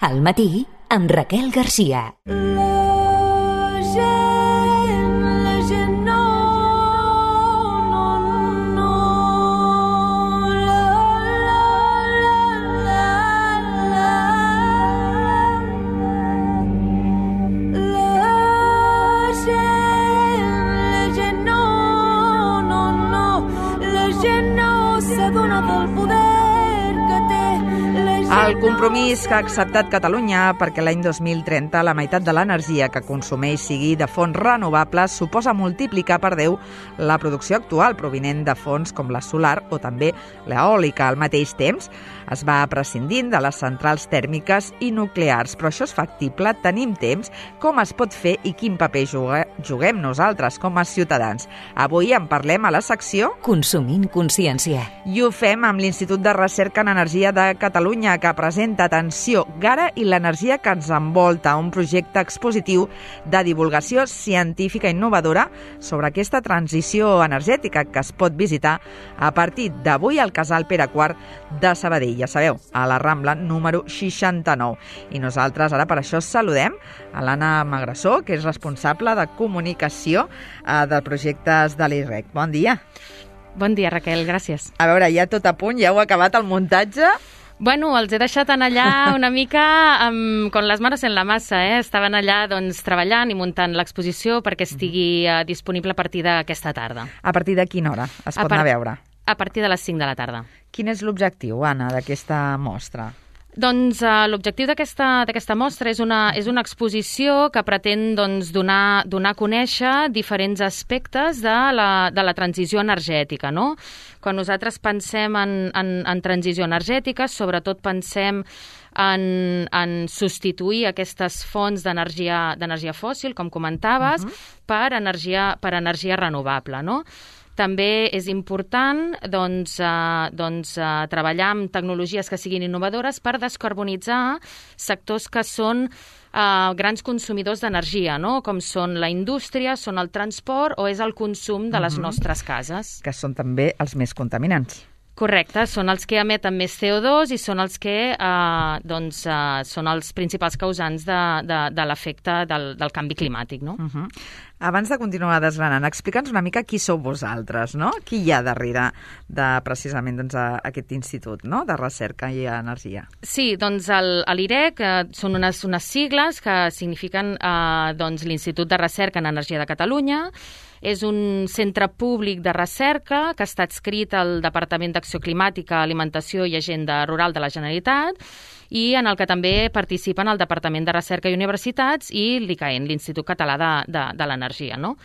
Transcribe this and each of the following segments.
Al matí, amb Raquel Garcia. El compromís que ha acceptat Catalunya perquè l'any 2030 la meitat de l'energia que consumeix sigui de fonts renovables suposa multiplicar per 10 la producció actual provinent de fonts com la solar o també l'eòlica. Al mateix temps es va prescindint de les centrals tèrmiques i nuclears, però això és factible, tenim temps, com es pot fer i quin paper juguem nosaltres com a ciutadans. Avui en parlem a la secció Consumint consciència. I ho fem amb l'Institut de Recerca en Energia de Catalunya, que presenta Atenció, Gara i l'energia que ens envolta, un projecte expositiu de divulgació científica innovadora sobre aquesta transició energètica que es pot visitar a partir d'avui al Casal Pere IV de Sabadell, ja sabeu, a la Rambla número 69. I nosaltres ara per això saludem a l'Anna Magressó, que és responsable de comunicació de projectes de l'IREC. Bon dia. Bon dia, Raquel, gràcies. A veure, ja tot a punt, ja heu acabat el muntatge? Bueno, els he deixat en allà una mica con les manos en la massa, Estaven allà treballant i muntant l'exposició perquè estigui disponible a partir d'aquesta tarda. A partir de quina hora es pot anar a veure? A partir de les 5 de la tarda. Quin és l'objectiu, Anna, d'aquesta mostra? Doncs l'objectiu d'aquesta mostra és una exposició que pretén donar a conèixer diferents aspectes de la transició energètica, no? Quan nosaltres pensem en transició energètica, sobretot pensem en substituir aquestes fonts d'energia fòssil, com comentaves, per energia renovable, no? També és important treballar amb tecnologies que siguin innovadores per descarbonitzar sectors que són grans consumidors d'energia, no? Com són la indústria, són el transport o és el consum de les nostres cases. Que són també els més contaminants. Correcte, són els que emeten més CO2 i són els que són els principals causants de l'efecte del canvi climàtic, no? Abans de continuar desgranant, explica'ns una mica qui sou vosaltres, no? Qui hi ha darrere de precisament aquest institut, no? De recerca i energia. Sí, doncs l'IREC són unes sigles que signifiquen l'Institut de Recerca en Energia de Catalunya. És un centre públic de recerca que està adscrit al Departament d'Acció Climàtica, Alimentació i Agenda Rural de la Generalitat i en el que també participen el Departament de Recerca i Universitats i l'ICAEN, l'Institut Català de l'Energia, no?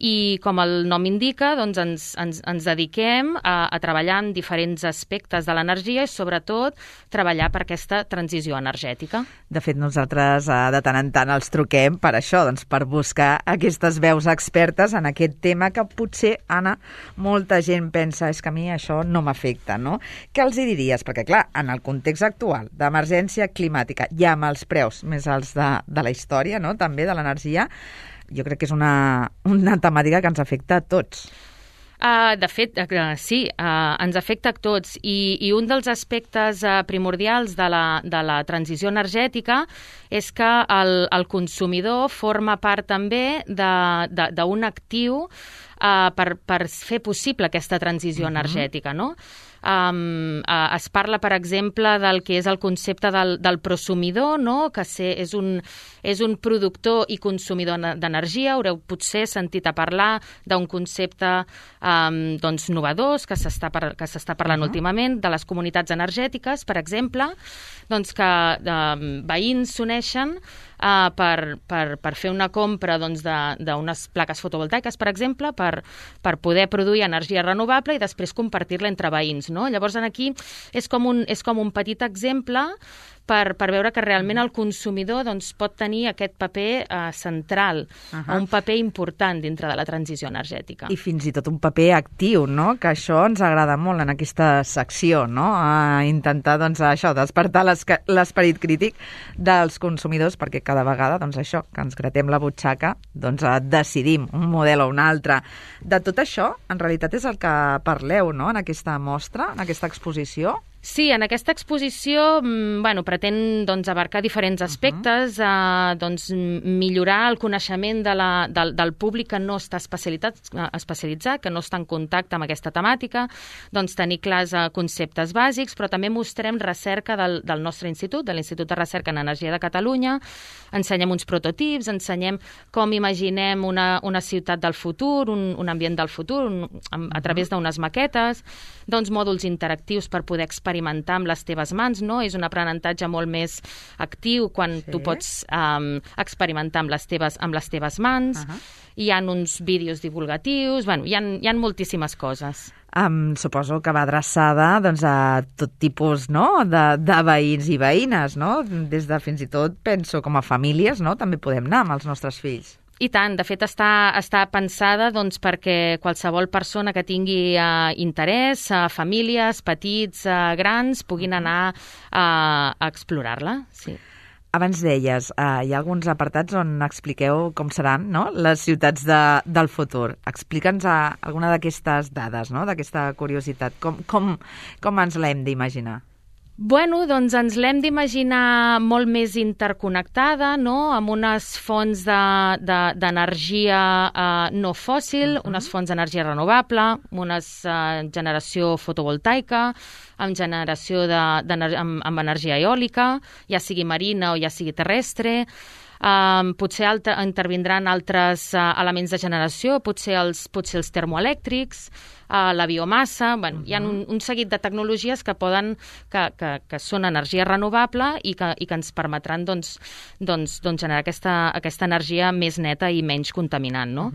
I com el nom indica, doncs ens dediquem a treballar en diferents aspectes de l'energia i sobretot treballar per aquesta transició energètica. De fet, nosaltres de tant en tant els truquem per això, doncs per buscar aquestes veus expertes en aquest tema que potser, Anna, molta gent pensa és que a mi això no m'afecta, no? Què els hi diries? Perquè, clar, en el context actual d'emergència climàtica i amb els preus més alts de la història, no?, també de l'energia, jo crec que és una temàtica que ens afecta a tots. De fet, sí, ens afecta a tots i un dels aspectes primordials de la transició energètica és que el consumidor forma part també d'un actiu per fer possible aquesta transició energètica, no? Es parla, per exemple, del que és el concepte del prosumidor, no? Que és un productor i consumidor d'energia. Haureu potser sentit a parlar d'un concepte novedós que s'està parlant últimament, de les comunitats energètiques, per exemple, doncs que veïns s'uneixen per fer una compra d'unes plaques fotovoltaiques, per exemple, per poder produir energia renovable i després compartir-la entre veïns, no? Llavors, aquí és com un petit exemple per veure que realment el consumidor pot tenir aquest paper central, un paper important dintre de la transició energètica. I fins i tot un paper actiu, no? Que això ens agrada molt en aquesta secció, no? A intentar, despertar l'esperit crític dels consumidors, perquè cada vegada, això, que ens gratem la butxaca, decidim un model o un altre. De tot això, en realitat, és el que parleu, no?, en aquesta mostra, en aquesta exposició. Sí, en aquesta exposició pretén abarcar diferents aspectes, millorar el coneixement del públic que no està especialitzat, que no està en contacte amb aquesta temàtica, tenir clars conceptes bàsics, però també mostrem recerca del nostre institut, de l'Institut de Recerca en Energia de Catalunya, ensenyem uns prototips, ensenyem com imaginem una ciutat del futur, un ambient del futur, a través d'unes maquetes, mòduls interactius per poder experimentar amb les teves mans, no? És un aprenentatge molt més actiu quan tu pots experimentar amb les teves mans. Hi ha uns vídeos divulgatius, hi ha moltíssimes coses. Suposo que va adreçada a tot tipus, no?, de veïns i veïnes, no? Des de fins i tot, penso, com a famílies, no?, també podem anar amb els nostres fills. I tant, de fet està pensada perquè qualsevol persona que tingui interès, famílies, petits, grans, puguin anar a explorar-la. Sí. Abans deies, hi ha alguns apartats on expliqueu com seran, no?, les ciutats del futur. Explica'ns alguna d'aquestes dades, no?, d'aquesta curiositat. Com ens l'hem d'imaginar? Ens l'hem d'imaginar molt més interconnectada, no?, amb unes fonts d'energia no fòssil, unes fonts d'energia renovable, una generació fotovoltaica, amb generació amb energia eòlica, ja sigui marina o ja sigui terrestre. Potser intervindran altres elements de generació, potser els termoelèctrics, la biomassa. Hi ha un seguit de tecnologies que són energia renovable i que ens permetran generar aquesta energia més neta i menys contaminant, no?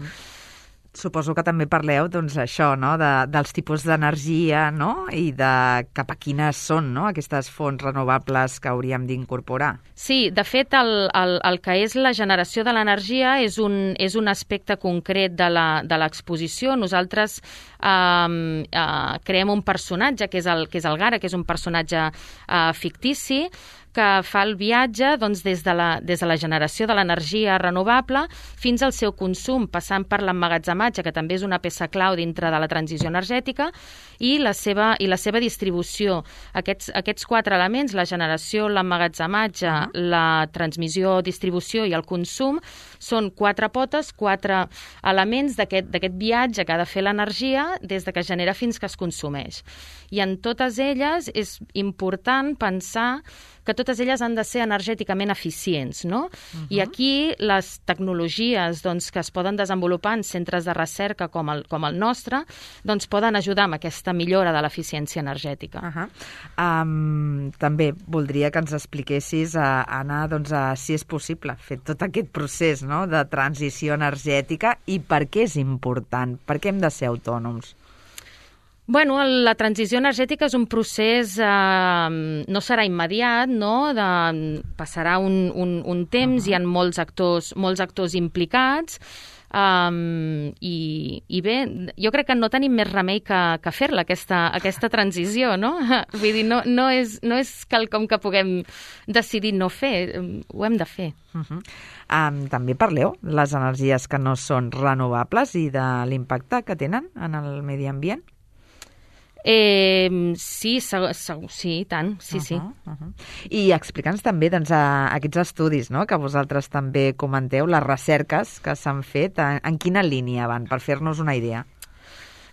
Suposo que també parleu, això, no?, dels tipus d'energia, no?, i de cap a quines són, no?, aquestes fonts renovables que hauríem d'incorporar. Sí, de fet, el que és la generació de l'energia és un aspecte concret de l'exposició. Nosaltres creem un personatge, que és el Gara, que és un personatge fictici, que fa el viatge des de la generació de l'energia renovable fins al seu consum, passant per l'emmagatzematge, que també és una peça clau dintre de la transició energètica, i la seva distribució. Aquests 4 elements, la generació, l'emmagatzematge, la transmissió, distribució i el consum, són 4 potes, 4 elements d'aquest viatge que ha de fer l'energia des de que es genera fins que es consumeix. I en totes elles és important pensar que totes elles han de ser energèticament eficients, no? I aquí les tecnologies que es poden desenvolupar en centres de recerca com el nostre poden ajudar amb aquesta millora de l'eficiència energètica. També voldria que ens expliquessis, Anna, si és possible fer tot aquest procés, no?, de transició energètica i per què és important, per què hem de ser autònoms. La transició energètica és un procés, no serà immediat, no? Passarà un temps, hi ha molts actors implicats, i bé, jo crec que no tenim més remei que fer-la, aquesta transició, no? Vull dir, no és quelcom que puguem decidir no fer, ho hem de fer. També parleu les energies que no són renovables i de l'impacte que tenen en el medi ambient? Sí, tant, sí. I explica'ns també aquests estudis, no?, que vosaltres també comenteu, les recerques que s'han fet, en quina línia van, per fer-nos una idea?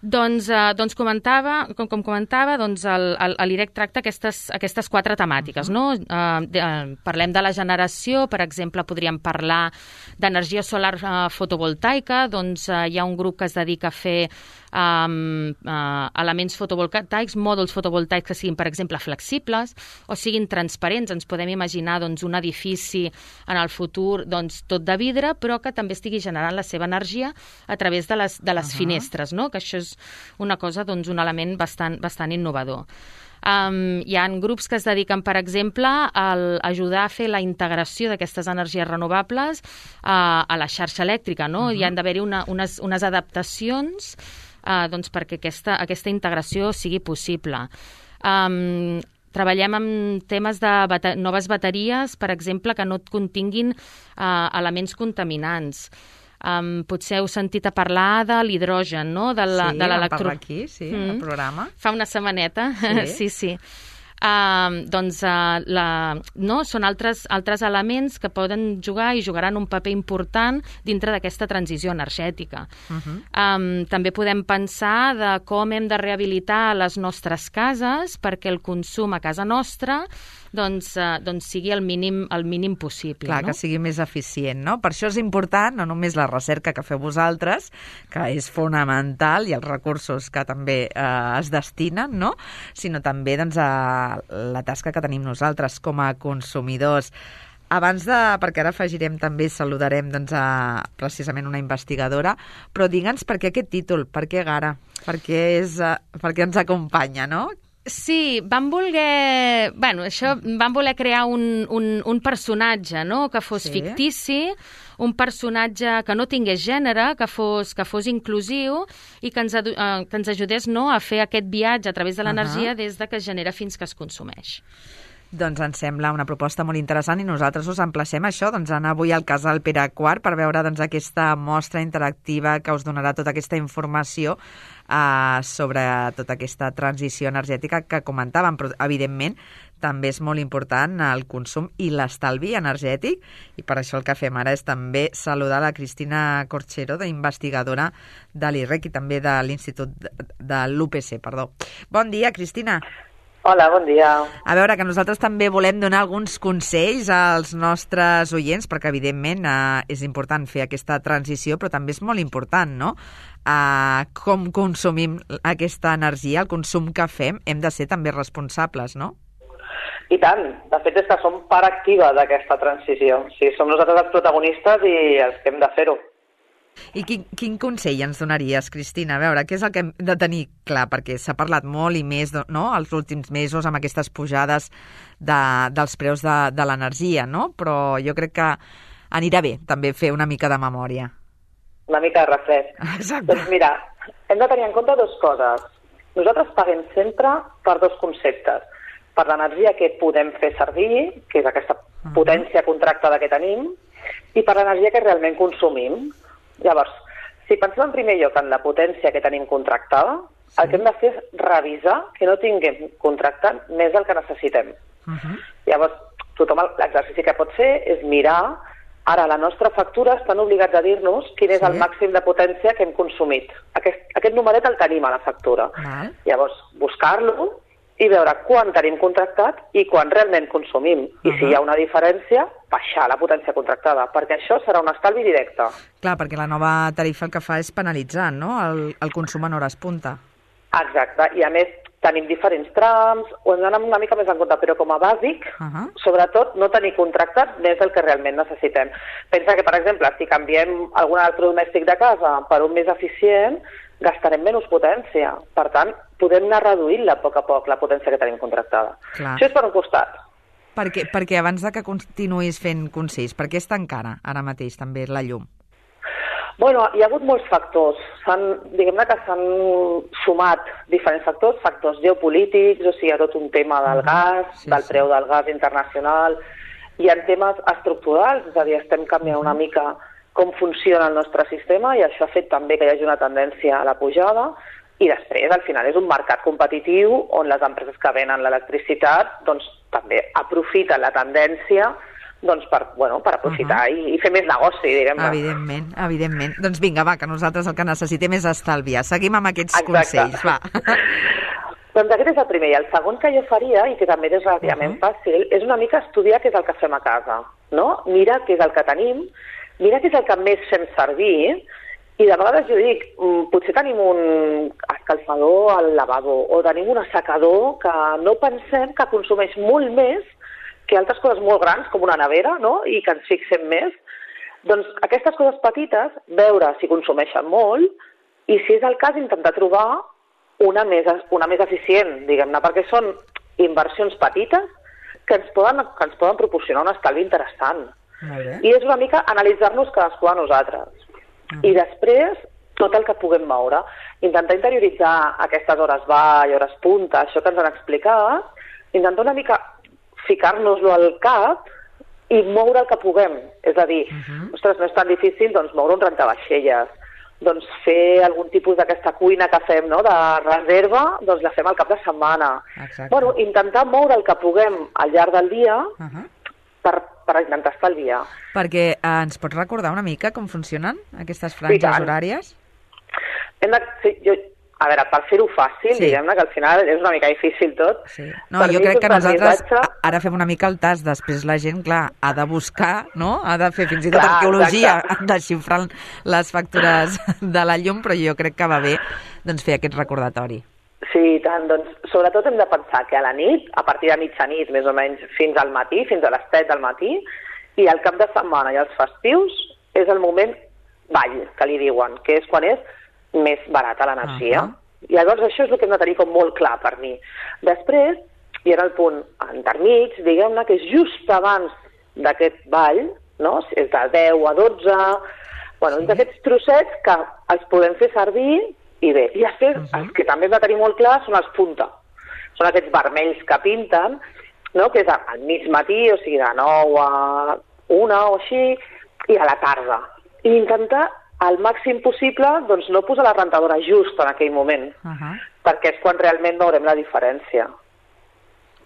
Com comentava, l'IREC tracta aquestes 4 temàtiques, no? Parlem de la generació, per exemple, podríem parlar d'energia solar fotovoltaica, hi ha un grup que es dedica a fer elements fotovoltaics, mòduls fotovoltaics que siguin, per exemple, flexibles o siguin transparents. Ens podem imaginar un edifici en el futur tot de vidre, però que també estigui generant la seva energia a través de les finestres, no? Que això és una cosa, un element bastant innovador. Hi ha grups que es dediquen, per exemple, a ajudar a fer la integració d'aquestes energies renovables a la xarxa elèctrica, no? Hi han d'haver-hi unes adaptacions perquè aquesta integració sigui possible. Treballem amb temes de noves bateries, per exemple, que no continguin elements contaminants. Potser heu sentit a parlar de l'hidrogen, no? De l'electro... Sí, vam parlar aquí, sí, al programa. Fa una setmaneta, sí. són altres elements que poden jugar i jugaran un paper important dintre d'aquesta transició energètica. També podem pensar de com hem de rehabilitar les nostres cases perquè el consum a casa nostra sigui el mínim possible. Clar, que sigui més eficient, no? Per això és important, no només la recerca que feu vosaltres, que és fonamental, i els recursos que també es destinen, no? Sinó també la tasca que tenim nosaltres com a consumidors. Perquè ara afegirem també, saludarem precisament una investigadora, però digue'ns per què aquest títol, per què Gara, per què ens acompanya, no? Sí, vam voler crear un personatge, no?, que fos fictici, un personatge que no tingués gènere, que fos inclusiu i que ens ajudés, no?, a fer aquest viatge a través de l'energia des de que es genera fins que es consumeix. Doncs ens sembla una proposta molt interessant i nosaltres us emplacem a això, anar avui al Casal Pere IV per veure aquesta mostra interactiva que us donarà tota aquesta informació sobre tota aquesta transició energètica que comentàvem, però evidentment també és molt important el consum i l'estalvi energètic, i per això el que fem ara és també saludar la Cristina Corchero, investigadora de l'IREC i també de l'Institut de l'UPC. Bon dia, Cristina. Hola, bon dia. A veure, que nosaltres també volem donar alguns consells als nostres oients, perquè evidentment és important fer aquesta transició, però també és molt important, no?, com consumim aquesta energia, el consum que fem, hem de ser també responsables, no? I tant. De fet, és que som part activa d'aquesta transició. O sigui, som nosaltres els protagonistes i els que hem de fer-ho. I quin consell ens donaries, Cristina? A veure, què és el que hem de tenir clar? Perquè s'ha parlat molt i més, no?, els últims mesos amb aquestes pujades dels preus de l'energia, no? Però jo crec que anirà bé també fer una mica de memòria. Una mica de refresc. Exacte. Doncs mira, hem de tenir en compte dues coses. Nosaltres paguem sempre per dos conceptes. Per l'energia que podem fer servir, que és aquesta potència contractada que tenim, i per l'energia que realment consumim. Llavors, si pensem en primer lloc en la potència que tenim contractada, el que hem de fer és revisar que no tinguem contractat més del que necessitem. Llavors, l'exercici que pot fer és mirar, ara a la nostra factura estan obligats a dir-nos quin és el màxim de potència que hem consumit. Aquest numeret el tenim a la factura. Llavors, buscar-lo i veure quan tenim contractat i quan realment consumim. I si hi ha una diferència, baixar la potència contractada, perquè això serà un estalvi directe. Clar, perquè la nova tarifa el que fa és penalitzar, no?, el consum en hores punta. Exacte, i a més tenim diferents trams, ho hem d'anar una mica més en compte, però com a bàsic, sobretot no tenir contractat més del que realment necessitem. Pensa que, per exemple, si canviem algun electrodomèstic de casa per un més eficient, gastarem menys potència. Per tant, podem anar reduint-la a poc, la potència que tenim contractada. Clar. Això és per un costat. Perquè abans de que continuïs fent consells, per què és tan cara ara mateix també la llum? Bueno, hi ha hagut molts factors. Diguem-ne que s'han sumat diferents factors geopolítics, o sigui, hi ha tot un tema del gas, del preu del gas internacional, hi ha temes estructurals, és a dir, estem canviant una mica com funciona el nostre sistema i això ha fet també que hi hagi una tendència a la pujada, i després, al final, és un mercat competitiu on les empreses que venen l'electricitat doncs, també aprofiten la tendència per aprofitar i fer més negoci, diguem-ne. Evidentment. Doncs vinga, va, que nosaltres el que necessitem és estalviar. Seguim amb aquests consells, va. Doncs aquest és el primer. I el segon que jo faria, i que també és relativament fàcil, és una mica estudiar què és el que fem a casa, no? Mira què és el que tenim, mira què és el que més fem servir, i de vegades jo dic, potser tenim un escalfador al lavabo o tenim un assecador que no pensem que consumeix molt més que altres coses molt grans, com una nevera, no?, i que ens fixem més. Doncs aquestes coses petites, veure si consumeixen molt, i si és el cas, intentar trobar una més eficient, diguem-ne, perquè són inversions petites que ens poden proporcionar un estalvi interessant. I és una mica analitzar-nos cadascú de nosaltres. I després, tot el que puguem moure. Intentar interioritzar aquestes hores vall, hores punta, això que ens han explicat, intentar una mica ficar-nos-lo al cap i moure el que puguem. És a dir, ostres, no és tan difícil doncs, moure un rentavaixelles, doncs fer algun tipus d'aquesta cuina que fem, no?, de reserva, doncs la fem al cap de setmana. Exacte. Bueno, intentar moure el que puguem al llarg del dia per intentar estalviar. Perquè ens pots recordar una mica com funcionen aquestes franges horàries? A veure, per fer-ho fàcil, diguem-ne, que al final és una mica difícil tot. Sí. No, jo crec que nosaltres ara fem una mica el tast, després la gent, clar, ha de buscar, no? Ha de fer fins i tot arqueologia, desxifrant les factures de la llum, però jo crec que va bé doncs, fer aquest recordatori. Sí, tant. Doncs, sobretot hem de pensar que a la nit, a partir de mitjanit, més o menys, fins al matí, fins a les 7 del matí, i al cap de setmana i els festius, és el moment ball, que li diuen, que és quan és més barata l'energia. I llavors això és el que hem de tenir com molt clar per mi. Després, hi era el punt intermig, diguem-ne, que és just abans d'aquest ball, no? És de 10 a 12, bueno, d'aquests trossets que els podem fer servir i bé. I després, els que també hem de tenir molt clar són els punta. Són aquests vermells que pinten, no? Que és al mig matí, o sigui, de 9 a 1 o així, i a la tarda. I intentar al màxim possible, doncs no posar la rentadora just en aquell moment, perquè és quan realment veurem la diferència.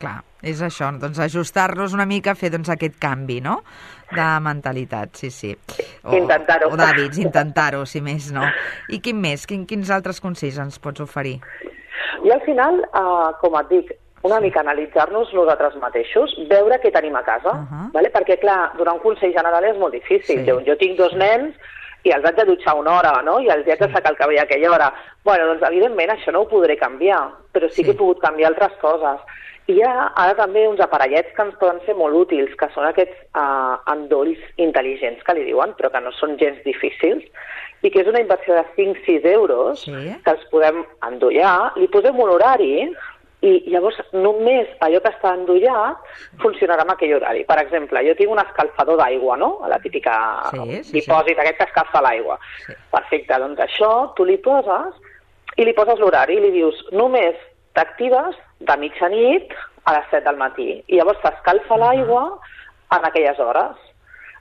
Clar, és això, doncs ajustar-nos una mica, fer doncs aquest canvi, no?, de mentalitat, sí. Intentar-ho. O d'hàbits, intentar-ho, si més no. I quin més? Quins altres consells ens pots oferir? I al final, com et dic, una mica analitzar-nos nosaltres mateixos, veure què tenim a casa, vale? Perquè clar, donar un consell general és molt difícil. Jo tinc 2 nens, i els haig de dutxar una hora, no? I els haig de sacar el cabell a aquella hora. Bueno, doncs evidentment això no ho podré canviar, però sí que he pogut canviar altres coses. I hi ha ara també uns aparellets que ens poden ser molt útils, que són aquests endolls intel·ligents, que li diuen, però que no són gens difícils, i que és una inversió de 5-6 euros, que els podem endollar, li posem un horari, i llavors només allò que està endollat funcionarà en aquell horari. Per exemple, jo tinc un escalfador d'aigua, no? La típica dipòsit aquest que escalfa l'aigua. Perfecte, doncs això tu li poses i li poses l'horari i li dius només t'actives de mitjanit a les 7 del matí i llavors t'escalfa l'aigua en aquelles hores.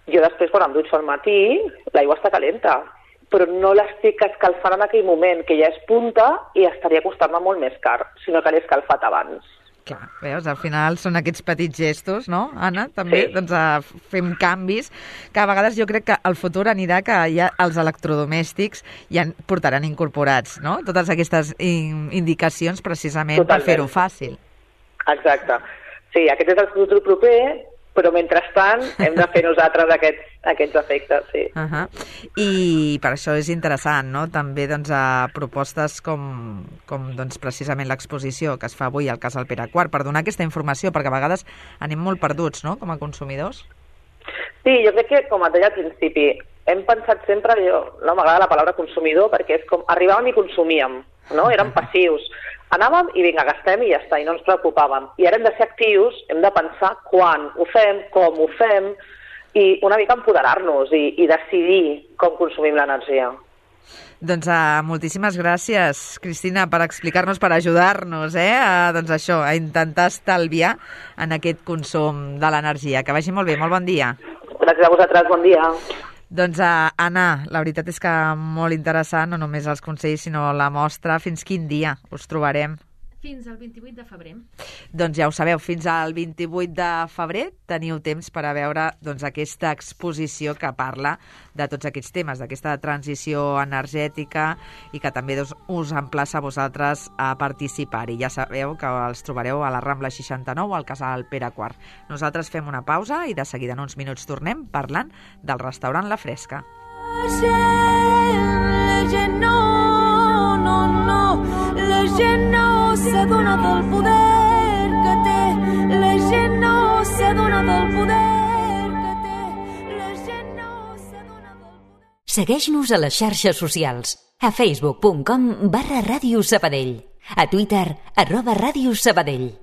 Jo després, quan em dutxo al matí, l'aigua està calenta, però no l'estic escalfant en aquell moment, que ja és punta i estaria costant-me molt més car, sinó que l'he escalfat abans. Clar, veus, al final són aquests petits gestos, no, Anna? També doncs, fem canvis, que a vegades jo crec que el futur anirà que ja els electrodomèstics ja portaran incorporats, no? Totes aquestes indicacions precisament per fer-ho fàcil. Exacte. Sí, aquest és el futur proper, però mentrestant hem de fer nosaltres aquests efectes, sí. I per això és interessant, no?, també doncs, propostes com doncs, precisament l'exposició que es fa avui al Casal Pere IV, per donar aquesta informació, perquè a vegades anem molt perduts, no?, com a consumidors. Sí, jo crec que, com et deia al principi, hem pensat sempre, no m'agrada la paraula consumidor, perquè és com arribàvem i consumíem, no?, érem passius. Anàvem i vinga, gastem i ja està, i no ens preocupàvem. I ara hem de ser actius, hem de pensar quan ho fem, com ho fem, i una mica empoderar-nos i decidir com consumim l'energia. Doncs moltíssimes gràcies, Cristina, per explicar-nos, per ajudar-nos, doncs això, a intentar estalviar en aquest consum de l'energia. Que vagi molt bé, molt bon dia. Gràcies a vosaltres, bon dia. Doncs, Anna, la veritat és que molt interessant, no només els consells, sinó la mostra. Fins quin dia us trobarem? Fins al 28 de febrer. Doncs ja ho sabeu, fins al 28 de febrer teniu temps per a veure doncs, aquesta exposició que parla de tots aquests temes, d'aquesta transició energètica i que també doncs, us emplaça a vosaltres a participar-hi. Ja sabeu que els trobareu a la Rambla 69, al Casal Pere IV. Nosaltres fem una pausa i de seguida en uns minuts tornem parlant del restaurant La Fresca. La gent no s'adona del poder que té, la gent no s'adona del poder que té, la gent no s'adona del poder. Segueix-nos a les xarxes socials, a facebook.com/Ràdio Sabadell, a Twitter @Ràdio Sabadell.